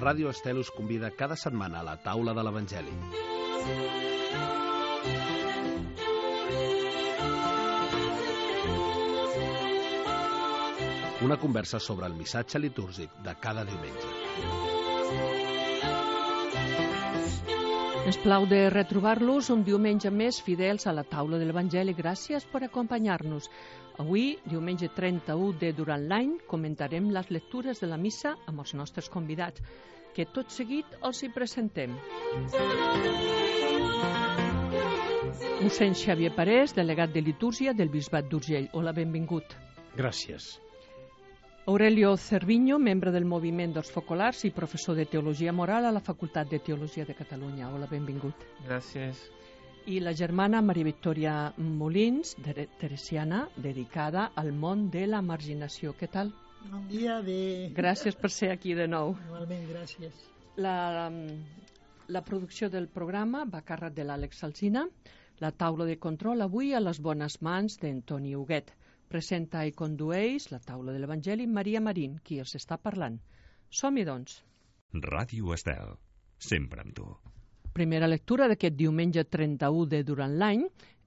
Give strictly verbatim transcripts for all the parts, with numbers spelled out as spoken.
Ràdio Estel us convida cada setmana a la taula de l'Evangeli. Una conversa sobre el missatge litúrgic de cada diumenge. Ens plau de retrobar-los un diumenge més fidels a la taula de l'Evangeli. Gràcies per acompanyar-nos. Avui, diumenge trenta-u de durant l'any, comentarem les lectures de la missa amb els nostres convidats, que tot seguit els hi presentem. Mossèn Xavier Parés, delegat de litúrgia del Bisbat d'Urgell. Hola, benvingut. Gràcies. Aurelio Cerviño, membre del Moviment dels Focolars i professor de Teologia Moral a la Facultat de Teologia de Catalunya. Hola, benvingut. Gràcies. I la germana Maria Victòria Molins, de teresiana, dedicada al món de la marginació. Què tal? Bon dia. De... Gràcies per ser aquí de nou. Igualment, gràcies. La, la producció del programa va a càrrec de l'Àlex Alsina. La taula de control avui a les bones mans d'Antoni Huguet. Presenta i condueix la taula de l'Evangeli Maria Marín, qui els està parlant. Som-hi, doncs. Ràdio Estel, sempre amb tu. Primera lectura d'aquest diumenge trenta-u de durant l'any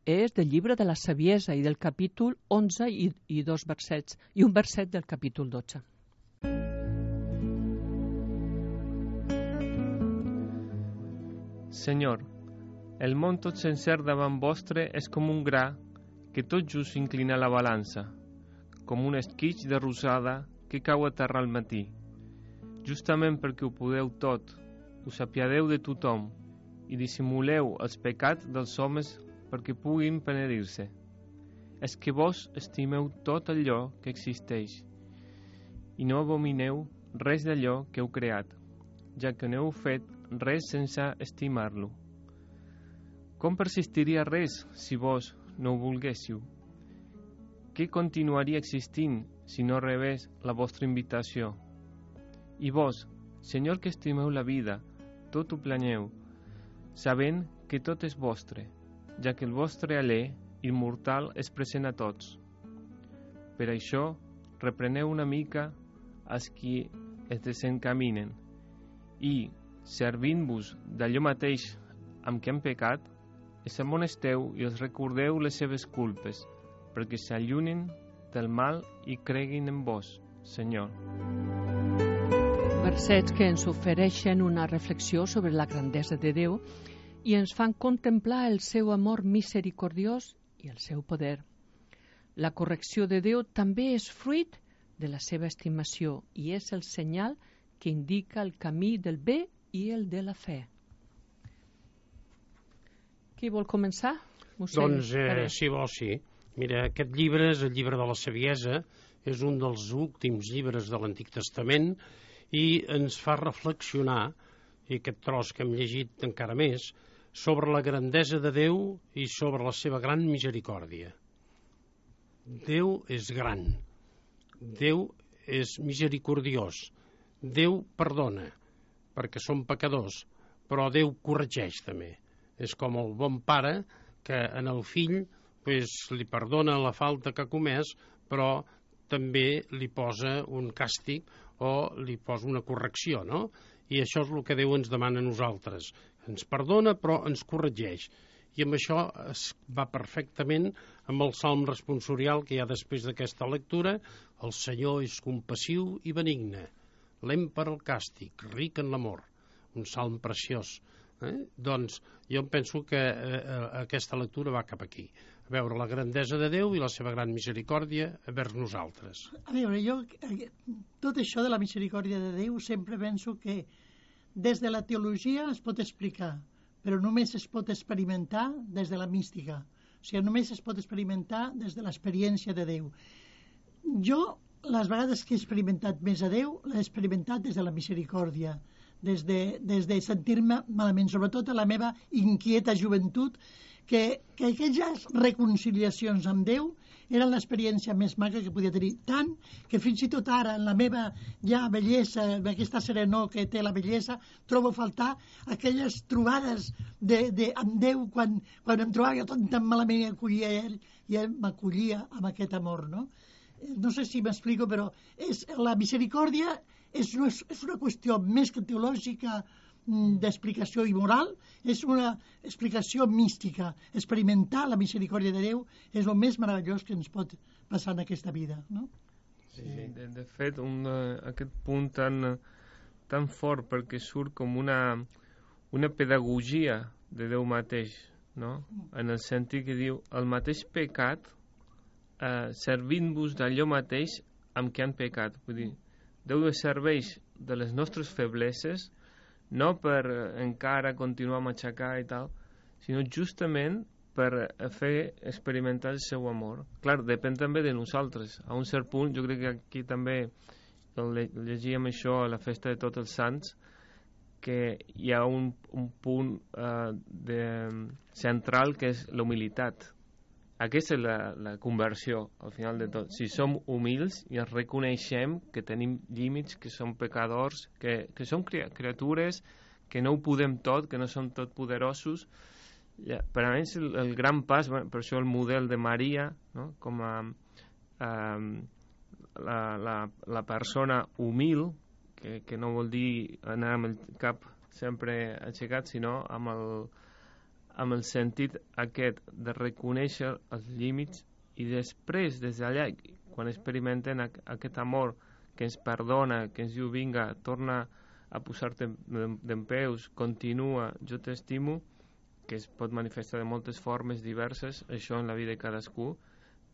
és del llibre de la Saviesa i del capítol onze i, i dos versets, i un verset del capítol dotze. Senyor, el món tot sencer davant vostre és com un gra que tot just inclina la balança, com un esquitx de rosada que cau a terra al matí. Justament perquè ho podeu tot, us apiadeu de tothom i dissimuleu els pecats dels homes perquè puguin penedir-se. És que vos estimeu tot allò que existeix i no abomineu res d'allò que heu creat, ja que no heu fet res sense estimar-lo. Com persistiria res si vos no ho volguéssiu? Què continuaria existint si no rebés la vostra invitació? I vos, Senyor que estimeu la vida, tot ho planeu, sabent que tot és vostre, ja que el vostre alè immortal és present a tots. Per això, repreneu una mica els qui es desencaminen i, servint-vos d'allò mateix amb què han pecat, els amonesteu i els recordeu les seves culpes, perquè s'allunin del mal i creguin en vos, Senyor. Versets que ens ofereixen una reflexió sobre la grandesa de Déu i ens fan contemplar el seu amor misericordiós i el seu poder. La correcció de Déu també és fruit de la seva estimació i és el senyal que indica el camí del bé i el de la fe. Qui vol començar? Doncs, eh, si vol, sí. Mira, aquest llibre és el llibre de la Saviesa, és un dels últims llibres de l'Antic Testament i ens fa reflexionar, i aquest tros que hem llegit encara més, sobre la grandesa de Déu i sobre la seva gran misericòrdia. Déu és gran, Déu és misericordiós, Déu perdona, perquè som pecadors, però Déu corregeix també. És com el bon pare que en el fill pues, li perdona la falta que ha comès, però també li posa un càstig o li posa una correcció, no? I això és el que Déu ens demana a nosaltres. Ens perdona, però ens corregeix. I amb això es va perfectament amb el salm responsorial que hi ha després d'aquesta lectura. El Senyor és compassiu i benigne, lent per al càstig, ric en l'amor. Un salm preciós. Eh? Doncs jo penso que eh, aquesta lectura va cap aquí, a veure la grandesa de Déu i la seva gran misericòrdia vers nosaltres. A veure, jo tot això de la misericòrdia de Déu sempre penso que des de la teologia es pot explicar, però només es pot experimentar des de la mística. O sigui, només es pot experimentar des de l'experiència de Déu. Jo, les vegades que he experimentat més a Déu, l'he experimentat des de la misericòrdia, des de, des de sentir-me malament, sobretot a la meva inquieta joventut, que, que aquelles reconciliacions amb Déu eren l'experiència més maca que podia tenir, tant que fins i tot ara en la meva ja vellesa, en aquesta serenor que té la vellesa, trobo a faltar aquelles trobades de, de, amb Déu quan, quan em trobava jo tot tan malament i acollia ell i ell m'acollia amb aquest amor, no? No sé si m'explico, però és, la misericòrdia és una, és una qüestió més que teològica, d'explicació i moral, és una explicació mística. Experimentar la misericòrdia de Déu és el més meravellós que ens pot passar en aquesta vida, no? Sí, de, de fet, un, uh, aquest punt tan, tan fort perquè surt com una, una pedagogia de Déu mateix, no? En el sentit que diu, el mateix pecat uh, servint-vos d'allò mateix amb què han pecat. Vull dir, Déu es serveix de les nostres febleses no per encara continuar a matxacar i tal, sinó justament per fer experimentar el seu amor. Clar, depèn també de nosaltres. A un cert punt, jo crec que aquí també llegíem això a la festa de Tots els Sants, que hi ha un, un punt uh, de, central que és la humilitat. Aquesta és la, la conversió, al final de tot. Si som humils i ens reconeixem que tenim límits, que som pecadors, que, que som criatures, que no ho podem tot, que no som tot poderosos, ja, per a mi és el, el gran pas, bueno, per això el model de Maria, no? Com a um, la, la, la persona humil, que, que no vol dir anar amb el cap sempre aixecat, sinó amb el amb el sentit aquest de reconèixer els límits i després, des d'allà, quan experimenten aquest amor que ens perdona, que ens diu, vinga, torna a posar-te d'en peus, continua, jo t'estimo, que es pot manifestar de moltes formes diverses, això en la vida de cadascú,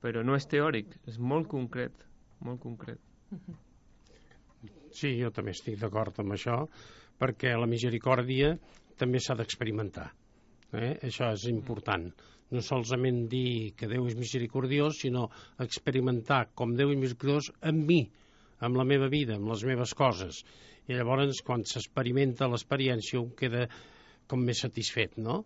però no és teòric, és molt concret, molt concret. Sí, jo també estic d'acord amb això, perquè la misericòrdia també s'ha d'experimentar. Eh? Això és important. No solament dir que Déu és misericordiós, sinó experimentar com Déu és misericordiós amb mi, amb la meva vida, amb les meves coses. I llavors, quan s'experimenta l'experiència, un queda com més satisfet, no?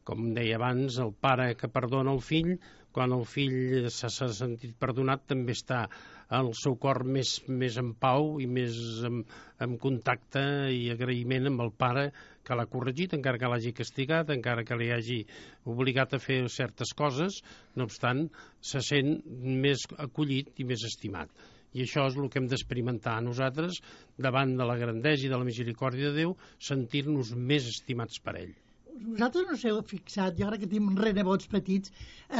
Com deia abans, el pare que perdona el fill, quan el fill s'ha sentit perdonat, també està el seu cor més, més en pau i més en, en contacte i agraïment amb el pare que l'ha corregit, encara que l'hagi castigat, encara que li hagi obligat a fer certes coses, no obstant, se sent més acollit i més estimat. I això és el que hem d'experimentar a nosaltres davant de la grandesa i de la misericòrdia de Déu, sentir-nos més estimats per ell. Vosaltres no us heu fixat, jo ara que tinc renebots petits,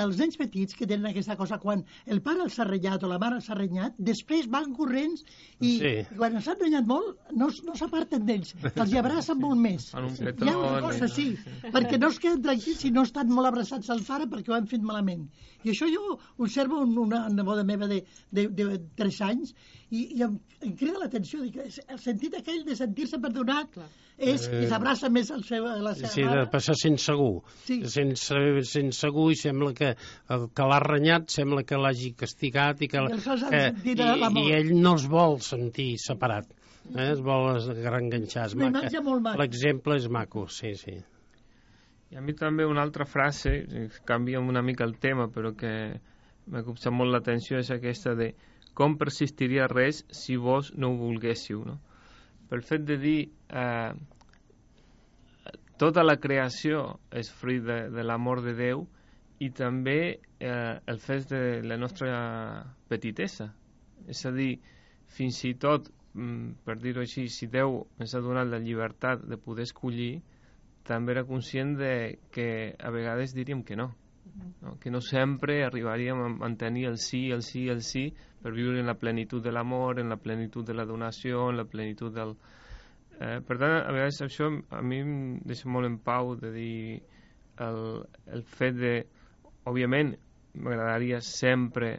els nens petits que tenen aquesta cosa, quan el pare els ha renyat o la mare els ha renyat, després van corrents i sí. Quan els han renyat molt no, no s'aparten d'ells, els hi abracen molt més. Hi ha una cosa, sí, perquè no es queden tranquils si no estan molt abraçats al pare perquè ho han fet malament. I això jo observo una neboda meva de, de, de tres anys i, i em, em crida l'atenció, el sentit aquell de sentir-se perdonat. Clar. És que s'abraça més el seu, la seva sí, mare. De passar sense segur. Sí. Sense, sense segur i sembla que el que l'ha renyat sembla que l'hagi castigat i que, I, que i, i ell no es vol sentir separat. Eh? Es vol reenganxar. L'exemple és maco, sí, sí. I a mi també una altra frase, canvia una mica el tema, però que m'ha copsat molt l'atenció, és aquesta de com persistiria res si vos no ho volguéssiu, no? Pel fet de dir eh, tota la creació és fruit de, de l'amor de Déu i també eh, el fet de la nostra petitesa. És a dir, fins i tot, per dir-ho així, si Déu ens ha donat la llibertat de poder escollir, també era conscient de que a vegades diríem que no, no? Que no sempre arribaríem a mantenir el sí, el sí, el sí, per viure en la plenitud de l'amor, en la plenitud de la donació, en la plenitud del... Eh, per tant, a vegades això a mi em deixa molt en pau de dir el, el fet de... Òbviament, m'agradaria sempre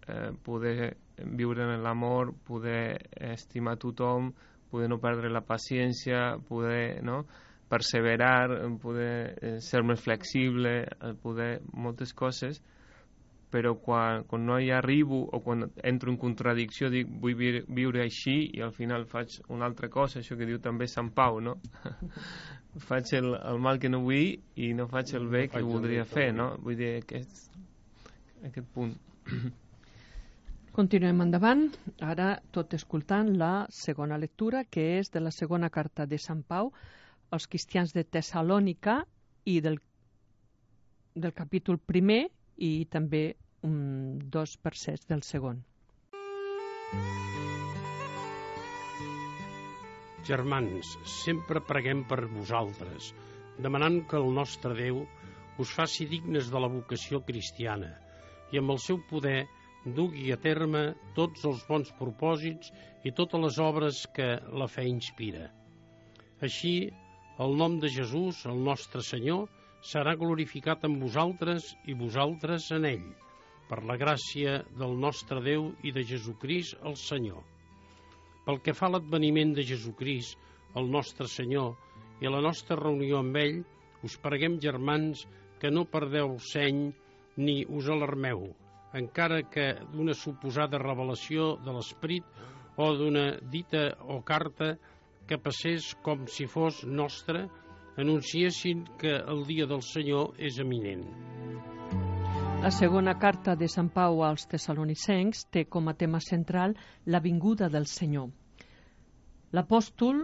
eh, poder viure en l'amor, poder estimar tothom, poder no perdre la paciència, poder... no? perseverar, poder eh, ser més flexible, poder moltes coses, però quan, quan no hi arribo o quan entro en contradicció dic vull vi viure així i al final faig una altra cosa, això que diu també Sant Pau, no? Faig el, el mal que no vull i no faig el bé que no voldria fer, no? Vull dir, aquest, aquest punt. Continuem endavant, ara tot escoltant la segona lectura, que és de la segona carta de Sant Pau als cristians de Tessalònica i del, del capítol primer i també um, dos versets del segon. Germans, sempre preguem per vosaltres, demanant que el nostre Déu us faci dignes de la vocació cristiana i amb el seu poder dugui a terme tots els bons propòsits i totes les obres que la fe inspira. Així, el nom de Jesús, el nostre Senyor, serà glorificat en vosaltres i vosaltres en ell, per la gràcia del nostre Déu i de Jesucrist el Senyor. Pel que fa a l'adveniment de Jesucrist, el nostre Senyor, i a la nostra reunió amb ell, us preguem, germans, que no perdeu seny ni us alarmeu, encara que d'una suposada revelació de l'Esperit o d'una dita o carta que passés com si fos nostra, anunciessin que el dia del Senyor és eminent. La segona carta de Sant Pau als Tessalonicencs té com a tema central la vinguda del Senyor. L'apòstol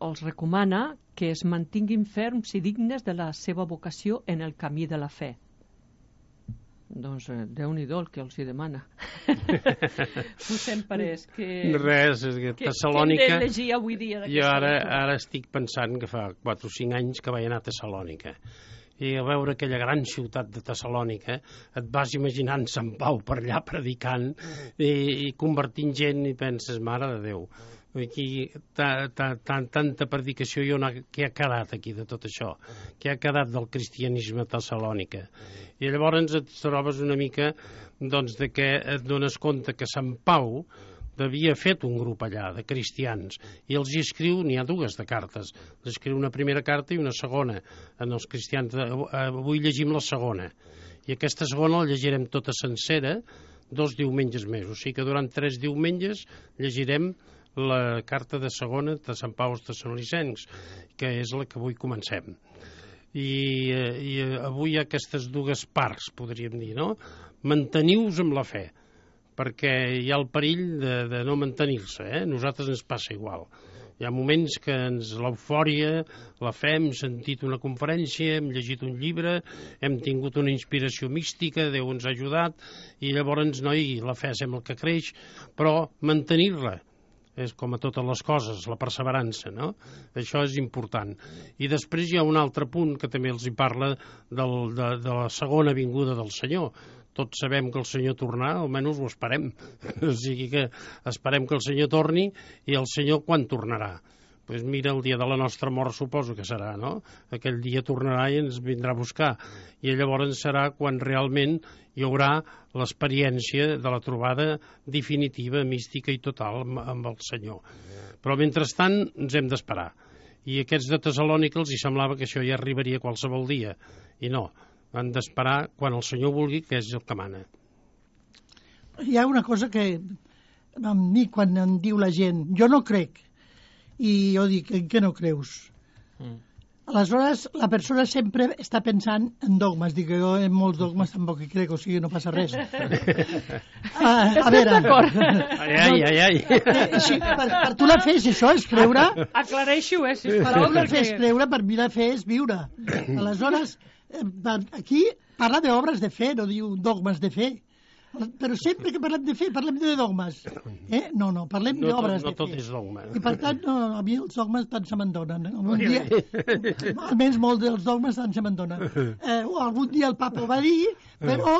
els recomana que es mantinguin ferms i dignes de la seva vocació en el camí de la fe. Doncs eh, Déu-n'hi-do el que els hi demana. Us hem parès que... Res, és que que, Tessalònica... que hem de llegir avui dia Jo ara, ara estic pensant que fa quatre o cinc anys que vaig anar a Tessalònica. I a veure aquella gran ciutat de Tessalònica, et vas imaginant Sant Pau per allà predicant i, i convertint gent i penses, mare de Déu, aquí ta, ta, ta, tanta predicació i on ha, què ha quedat aquí de tot això? Què ha quedat del cristianisme a Tessalònica? I llavors et trobes una mica doncs, de que et dones compte que Sant Pau havia fet un grup allà de cristians i els hi escriu, n'hi ha dues de cartes, els escriu una primera carta i una segona en els cristians. Avui llegim la segona i aquesta segona la llegirem tota sencera dos diumenges més, o sigui que durant tres diumenges llegirem la carta de segona de Sant Pau als Tessalonicencs, que és la que avui comencem. I, i avui hi ha aquestes dues parts, podríem dir, no? Manteniu-vos amb la fe, perquè hi ha el perill de, de no mantenir-se, eh? A nosaltres ens passa igual. Hi ha moments que ens l'eufòria, la fe, hem sentit una conferència, hem llegit un llibre, hem tingut una inspiració mística, Déu ens ha ajudat, i llavors, noi, la fe sembla que creix, però mantenir-la és com a totes les coses, la perseverança, no? Això és important. I després hi ha un altre punt que també els hi parla del, de, de la segona vinguda del Senyor. Tots sabem que el Senyor tornarà, almenys ho esperem. O sigui que esperem que el Senyor torni i el Senyor quan tornarà? Doncs pues mira, el dia de la nostra mort suposo que serà, no? Aquell dia tornarà i ens vindrà a buscar. I llavors serà quan realment hi haurà l'experiència de la trobada definitiva, mística i total amb el Senyor. Però mentrestant ens hem d'esperar. I aquests de Tessalònica els hi semblava que això ja arribaria qualsevol dia. I no, han d'esperar quan el Senyor vulgui, que és el que mana. Hi ha una cosa que a mi quan em diu la gent, jo no crec, i jo dic, en què no creus? Mm. Aleshores, la persona sempre està pensant en dogmes. Dic que jo en molts dogmes tampoc hi crec, o sigui, no passa res. ah, a veure... Ai, ai, ai, ai. Eh, sí, per, per tu la fe és això, és creure... Aclareixo, eh, sisplau. Per tu la fe és creure, per mi la fe és viure. Aleshores, aquí parla d'obres de fe, no diu dogmes de fe. Però sempre que parlem de fe, parlem de dogmes. Eh? No, no, parlem no d'obres no de fe. No tot és dogma. I per tant, no, a mi els dogmes tant se m'endonen. Un dia, almenys molts dels dogmes tant se m'endonen. Eh, algun dia el papa ho va dir, però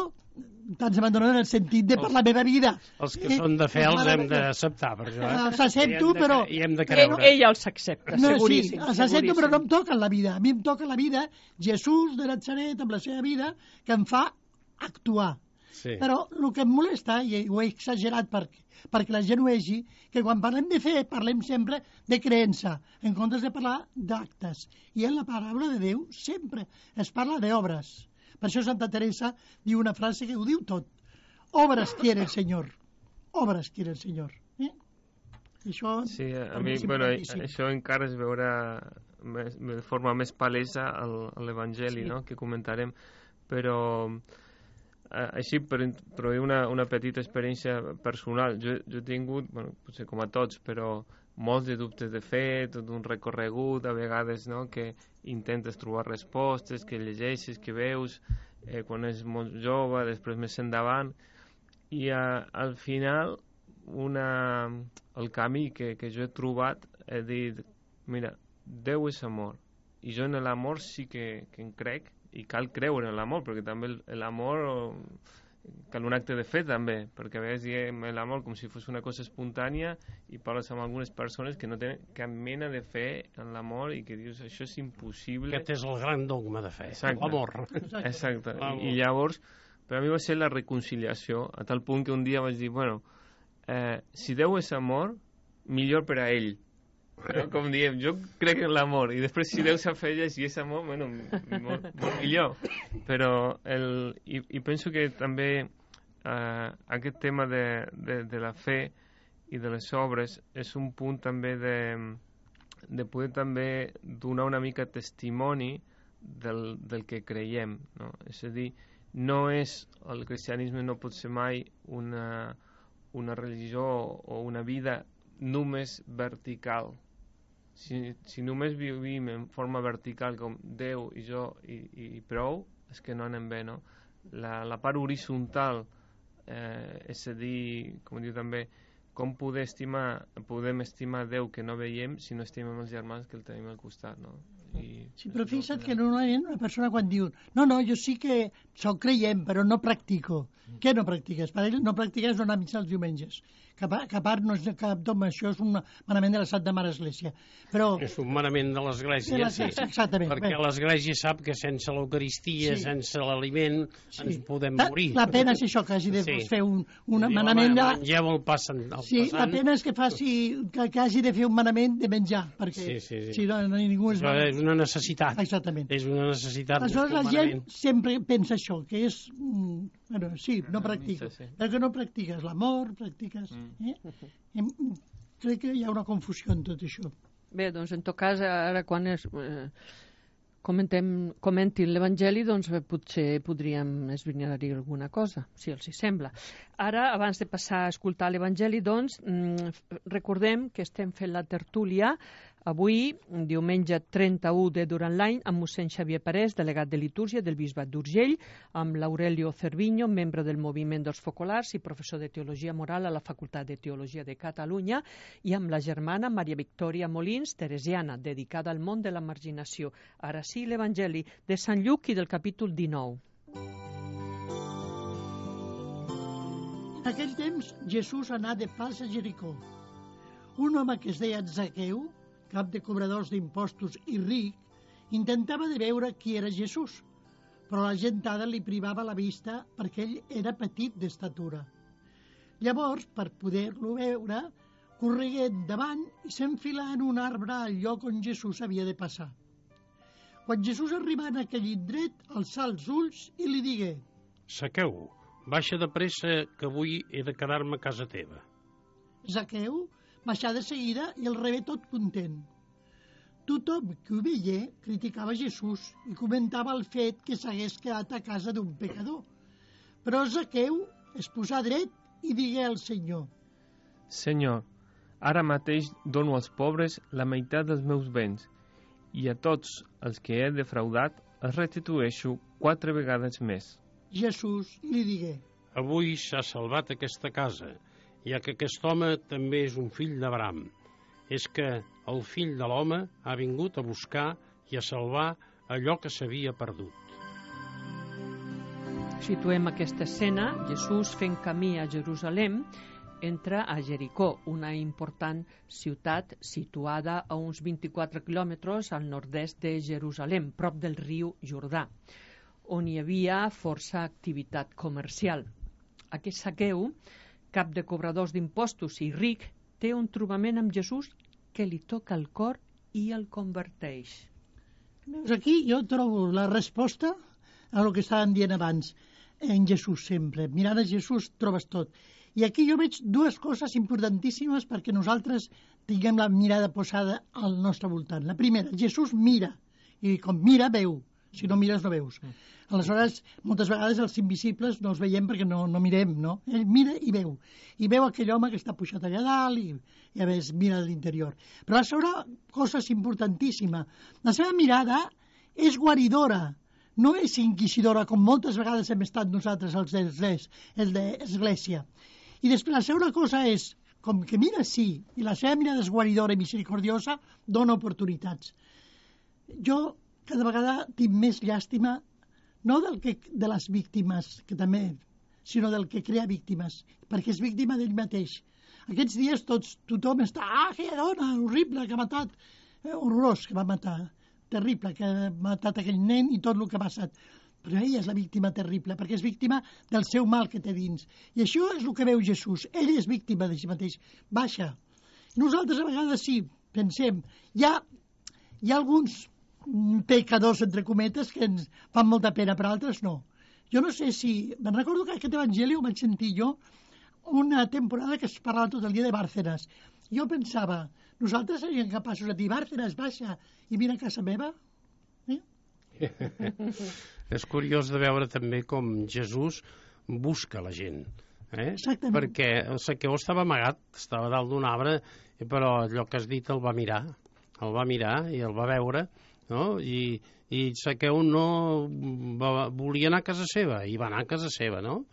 tant se m'endonen en el sentit de per la meva vida. Els que eh, són de fe els hem d'acceptar, per això. Eh? Els accepto, però... I hem de creure. Ell, ell els accepta, no, seguríssim. Sí, els accepto, però no em toquen la vida. A mi em toca la vida, Jesús de Natzaret, amb la seva vida, que em fa actuar. Sí. Però el que em molesta, i ho he exagerat perquè, perquè la gent ho vegi, que quan parlem de fe parlem sempre de creença, en comptes de parlar d'actes. I en la paraula de Déu sempre es parla d'obres. Per això Santa Teresa diu una frase que ho diu tot. Obres quiere el Senyor. Obres quiere el Senyor. Eh? I això... Sí, a mi, bueno, això encara es veurà més, de forma més palesa a l'Evangeli, sí. No?, que comentarem, però... Així, per introduir una, una petita experiència personal, jo, jo he tingut, bueno, potser com a tots, però molts de dubtes de fe, tot un recorregut, a vegades, no?, que intentes trobar respostes, que llegeixes, que veus, eh, quan és molt jove, després més endavant, i a, al final una, el camí que, que jo he trobat, he dit, mira, Déu és amor, i jo en l'amor sí que, que en crec, i cal creure en l'amor, perquè també l'amor cal un acte de fe també, perquè a vegades diem l'amor com si fos una cosa espontània i parles amb algunes persones que no tenen cap mena de fe en l'amor i que dius això és impossible. Aquest és el gran dogma de fe, exacte, l'amor. Exacte, I, i llavors per a mi va ser la reconciliació, a tal punt que un dia vaig dir, bueno, eh, si Déu és amor, millor per a ell. No? Com diem, jo crec en l'amor i després si Déu s'afegeix i és amor, bueno, molt, molt millor, però el, i, i penso que també eh, aquest tema de, de, de la fe i de les obres és un punt també de, de poder també donar una mica testimoni del, del que creiem, no? És a dir, no és, el cristianisme no pot ser mai una, una religió o una vida només vertical. Si, si només vivim en forma vertical com Déu i jo i, i prou, és que no anem bé, no? La, la part horitzontal, eh, és a dir, com diu també, com poder estimar, podem estimar Déu que no veiem si no estimem els germans que el tenim al costat, no? I sí, però fixa't que normalment una persona quan diu no, no, jo sí que soc creient, però no practico. Mm. Què no practiques? Per ell no practiques no anar a missa els diumenges. Que a, que a part no és cap dogma, això és un manament de la Santa Mare Església. Però... És un manament de l'Església, sí. Exactament. Perquè bé. l'Església sap que sense l'Eucaristia, sí. sense l'aliment, sí. ens podem la, morir. La pena és això, que hagi de sí. fer un, un sí, manament... de... Mengeu el passant. El sí, passant. La pena és que faci que, que hagi de fer un manament de menjar, perquè sí, sí, sí. si no, no ningú es va... És una necessitat. Exactament. És una necessitat. Aleshores la gent sempre pensa això, que és... Mm, bueno, sí, no practico. Sí, sí. Perquè no practiques l'amor, practiques... Mm. Eh? Em, crec que hi ha una confusió en tot això. Bé, doncs en tot cas, ara quan es, eh, comentem, comentin l'Evangeli, doncs potser podríem esbrinar-hi alguna cosa, si els hi sembla. Ara, abans de passar a escoltar l'Evangeli, doncs, recordem que estem fent la tertúlia avui, diumenge trenta-u de durant l'any, amb mossèn Xavier Parés, delegat de litúrgia del Bisbat d'Urgell, amb l'Aurelio Cerviño, membre del Moviment dels Focolars i professor de Teologia Moral a la Facultat de Teologia de Catalunya, i amb la germana Maria Victòria Molins, teresiana, dedicada al món de la marginació. Ara sí, l'Evangeli de Sant Lluc i del capítol dinou. En aquell temps, Jesús anà de pas a Jericó. Un home que es deia Zaqueu, cap de cobradors d'impostos i ric, intentava de veure qui era Jesús, però la gentada li privava la vista perquè ell era petit d'estatura. Llavors, per poder-lo veure, corregué endavant i s'enfilà en un arbre al lloc on Jesús havia de passar. Quan Jesús arribà en aquell indret, alçà els ulls i li digué: Zaqueu, baixa de pressa que avui he de quedar-me a casa teva. Zaqueu baixà de seguida i el rebé tot content. Tothom que ho veié criticava Jesús i comentava el fet que s'hagués quedat a casa d'un pecador. Però Zaqueu es posà dret i digué al Senyor: Senyor, ara mateix dono als pobres la meitat dels meus béns i a tots els que he defraudat els restitueixo quatre vegades més. Jesús li digué: Avui s'ha salvat aquesta casa, ja que aquest home també és un fill d'Abraham. És que el fill de l'home ha vingut a buscar i a salvar allò que s'havia perdut. Situem aquesta escena. Jesús, fent camí a Jerusalem, entra a Jericó, una important ciutat situada a uns vint-i-quatre quilòmetres al nord-est de Jerusalem, prop del riu Jordà, on hi havia força activitat comercial. Aquest Zaqueu, cap de cobradors d'impostos i ric, té un trobament amb Jesús que li toca el cor i el converteix. Veus, aquí jo trobo la resposta a lo que estàvem dient abans, en Jesús sempre. Mirant a Jesús trobes tot. I aquí jo veig dues coses importantíssimes perquè nosaltres tinguem la mirada posada al nostre voltant. La primera, Jesús mira, i com mira, veu. Si no mires, no veus. Aleshores, moltes vegades els invisibles no els veiem perquè no, no mirem, no? Ell mira i veu. I veu aquell home que està pujat allà dalt i, i a més mira a l'interior. Però la segona cosa és importantíssima. La seva mirada és guaridora, no és inquisidora, com moltes vegades hem estat nosaltres els d'Església. I després la segona cosa és, com que mira sí, i la seva mirada és guaridora i misericordiosa, dona oportunitats. Jo cada vegada tinc més llàstima, no del que, de les víctimes, que també, sinó del que crea víctimes, perquè és víctima d'ell mateix. Aquests dies tots, tothom està, ah, aquella dona horrible que ha matat, eh, horrorós que va matar, terrible, que ha matat aquell nen i tot el que ha passat. Però ella és la víctima terrible, perquè és víctima del seu mal que té dins. I això és el que veu Jesús. Ell és víctima de si mateix. Baixa. Nosaltres a vegades sí, pensem, hi ha, hi ha alguns pecadors, entre cometes, que ens fan molta pena, però altres no. Jo no sé si... Me'n recordo que aquest evangeli ho vaig sentir jo una temporada que es parlava tot el dia de Bárcenas. Jo pensava, nosaltres seríem capaços de dir Bárcenas, baixa, i vine a casa meva? Eh? És curiós de veure també com Jesús busca la gent. Eh? Exactament. Perquè el Zaqueu estava amagat, estava dalt d'un arbre, però allò que has dit el va mirar. El va mirar i el va veure, no? I, i Zaqueu no va, volia anar a casa seva, i va anar a casa seva, no?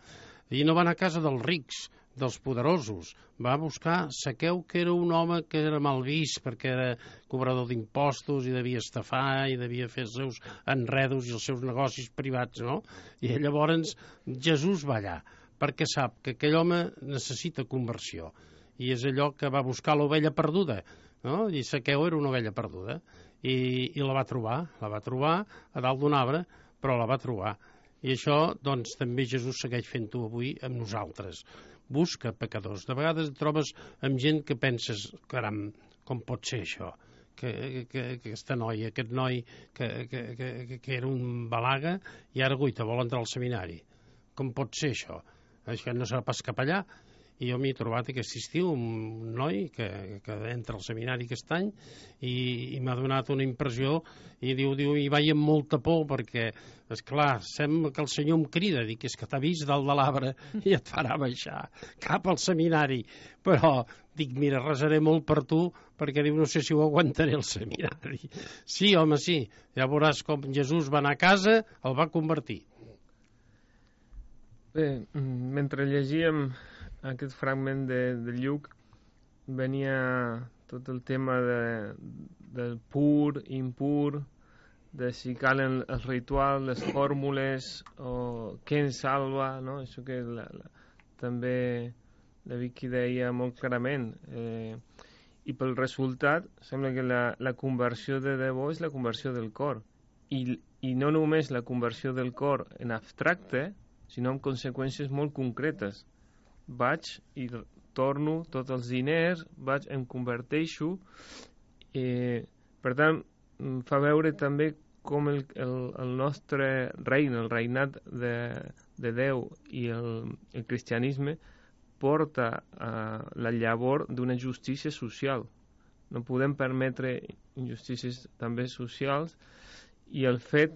I no va anar a casa dels rics, dels poderosos. Va buscar Zaqueu, que era un home que era mal vist perquè era cobrador d'impostos i devia estafar i devia fer els seus enredos i els seus negocis privats, no? I llavors Jesús va allà perquè sap que aquell home necessita conversió i és allò que va buscar l'ovella perduda, no? I Zaqueu era una ovella perduda i, i la va trobar, la va trobar a dalt d'un arbre, però la va trobar. I això, doncs, també Jesús segueix fent-ho avui amb nosaltres. Busca pecadors. De vegades et trobes amb gent que penses, caram, com pot ser això? Que, que, que aquesta noia, aquest noi que, que, que, que era un balaga i ara, guaita, vol entrar al seminari. Com pot ser això? Això no serà pas cap allà. I jo m'hi he trobat aquest estiu un noi que, que entra al seminari aquest any i, i m'ha donat una impressió i diu, diu, i vaig amb molta por perquè, esclar, sembla que el Senyor em crida, dic, és que t'ha vist dalt de l'arbre i et farà baixar cap al seminari, però dic, mira, resaré molt per tu perquè diu, no sé si ho aguantaré al seminari. Sí, home, sí, ja veuràs com Jesús va anar a casa, el va convertir. Bé, mentre llegíem aquest fragment de, de Lluc, venia tot el tema de, del pur, impur, de si calen els rituals, les fórmules, o què ens salva, no? Això que la, la, també la Vicky deia molt clarament. Eh, I pel resultat, sembla que la, la conversió de debò és la conversió del cor. I, I no només la conversió del cor en abstracte, sinó amb conseqüències molt concretes. Vaig i torno tots els diners, vaig, em converteixo. Eh, per tant, fa veure també com el, el, el nostre regne, el reinat de, de Déu i el, el cristianisme porta uh, la llavor d'una justícia social. No podem permetre injustícies també socials i el fet,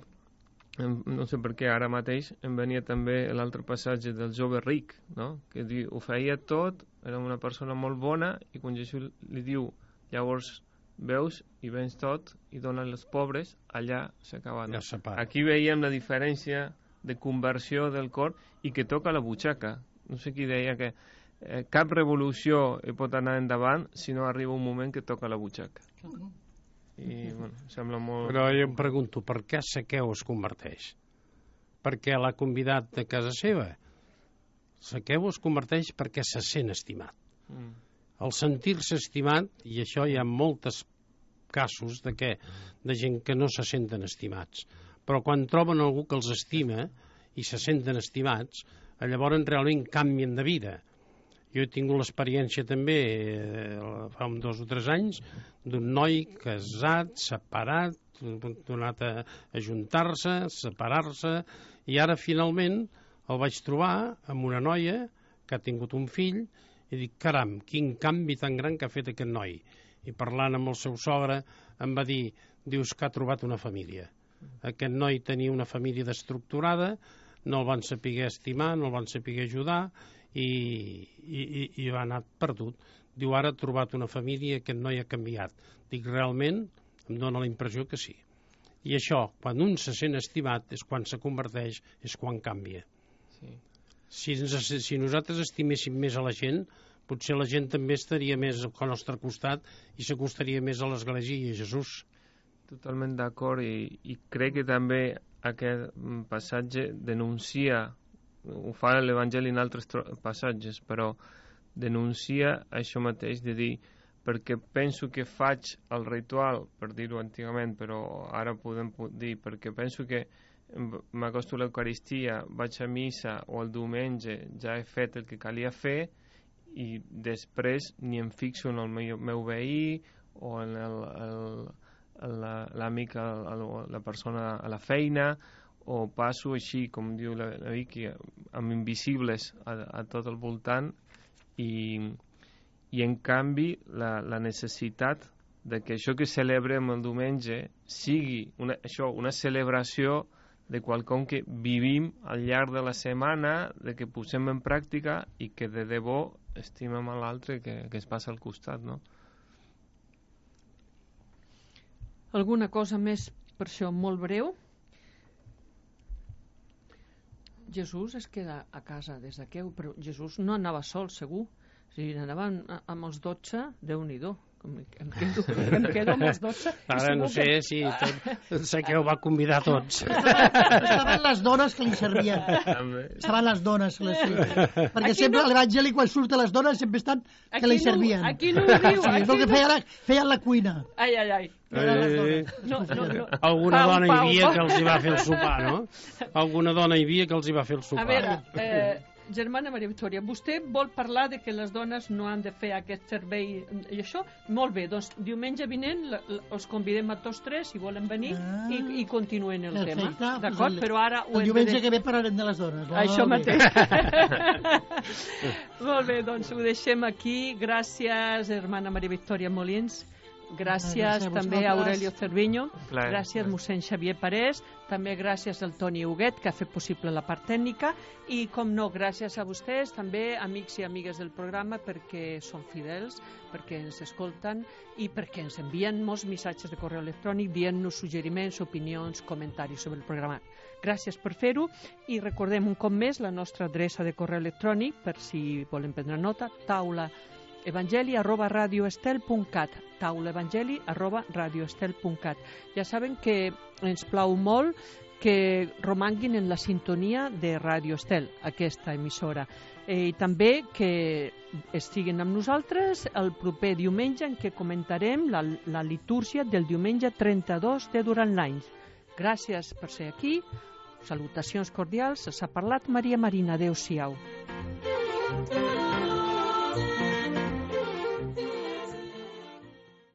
no sé per què ara mateix em venia també l'altre passatge del jove ric, no? Que diu, ho feia tot, era una persona molt bona i quan Jesús li diu, llavors veus i vens tot i donen als pobres, allà s'acaba. No? Ja aquí veiem la diferència de conversió del cor i que toca la butxaca. No sé qui deia que eh, cap revolució pot anar endavant si no arriba un moment que toca la butxaca. I, bueno, sembla molt... Però jo em pregunto, per què Zaqueu es converteix? Perquè l'ha convidat de casa seva? Zaqueu es converteix perquè se sent estimat. Mm. El sentir-se estimat, i això hi ha molts casos de, que, de gent que no se senten estimats, però quan troben algú que els estima i se senten estimats, llavors realment canvien de vida. Jo he tingut l'experiència també, eh, fa dos o tres anys, d'un noi casat, separat, donat a ajuntar-se, separar-se, i ara finalment el vaig trobar amb una noia que ha tingut un fill, i dic, caram, quin canvi tan gran que ha fet aquest noi. I parlant amb el seu sogre em va dir, dius que ha trobat una família. Aquest noi tenia una família destructurada, no el van saber estimar, no el van saber ajudar, i, i, i va anar perdut. Diu, ara ha trobat una família, aquest noi ha canviat. Dic, realment, em dóna la impressió que sí. I això, quan un se sent estimat, és quan se converteix, és quan canvia. Sí. Si, ens, si nosaltres estiméssim més a la gent, potser la gent també estaria més al nostre costat i s'acostaria més a l'Església i a Jesús. Totalment d'acord, i, i crec que també aquest passatge denuncia, ho fa l'Evangeli en altres passatges, però denuncia això mateix de dir, perquè penso que faig el ritual, per dir-ho antigament, però ara podem dir, perquè penso que m'acosto a l'Eucaristia, vaig a missa o el diumenge ja he fet el que calia fer i després ni em fixo en el meu, meu veí o en l'amic, la, la persona a la feina, o passo així, com diu la, la Vicky, amb invisibles a, a tot el voltant, i, i en canvi la, la necessitat de que això que celebrem el diumenge sigui una, això, una celebració de quelcom que vivim al llarg de la setmana, de que posem en pràctica i que de debò estimem a l'altre que, que es passa al costat, no? Alguna cosa més per això molt breu? Jesús es queda a casa des d'aquí, però Jesús no anava sol, segur. O sigui, anava amb els dotze, Déu-n'hi-do. Em quedo, em quedo amb els dotze. Ara no sé que... si tot, sé que ho va convidar tots. Estaven les dones que li servien. Estaven les dones que li servien. Perquè aquí sempre no... a l'Evangeli, quan surten les dones, sempre estan que aquí li servien. No, aquí no ho diu. Sí, aquí que feien la, feien la cuina. Ai, ai, ai. Eh, no, no, no. Alguna Pau, dona Pau, hi havia Pau. que els hi va fer el sopar, no? Alguna dona hi havia que els hi va fer el sopar. A veure, eh, germana Maria Victòria, vostè vol parlar de que les dones no han de fer aquest servei i això? Molt bé, doncs diumenge vinent la, la, els convidem a tots tres, si volen venir, ah, i, i continuen el perfecte, tema. D'acord? Pues però ara... El diumenge de... que ve parlarem de les dones. No? Això Molt mateix. bé. Molt bé, doncs ho deixem aquí. Gràcies, hermana Maria Victòria Molins. Gràcies, gràcies a també a Aurelio Cerviño, Clar, gràcies clar. mossèn Xavier Parés, també gràcies al Toni Huguet, que ha fet possible la part tècnica, i com no, gràcies a vostès, també amics i amigues del programa, perquè són fidels, perquè ens escolten i perquè ens envien molts missatges de correu electrònic dient-nos suggeriments, opinions, comentaris sobre el programa. Gràcies per fer-ho i recordem un cop més la nostra adreça de correu electrònic, per si volen prendre nota, taula evangeli arroba radioestel punt cat, taula evangeli arroba radioestel punt cat. Ja saben que ens plau molt que romanguin en la sintonia de Radio Estel, aquesta emissora, eh, i també que estiguin amb nosaltres el proper diumenge en què comentarem la, la litúrgia del diumenge trenta-dos de durant l'any. Gràcies per ser aquí, salutacions cordials, s'ha parlat Maria Marina, adeu-siau.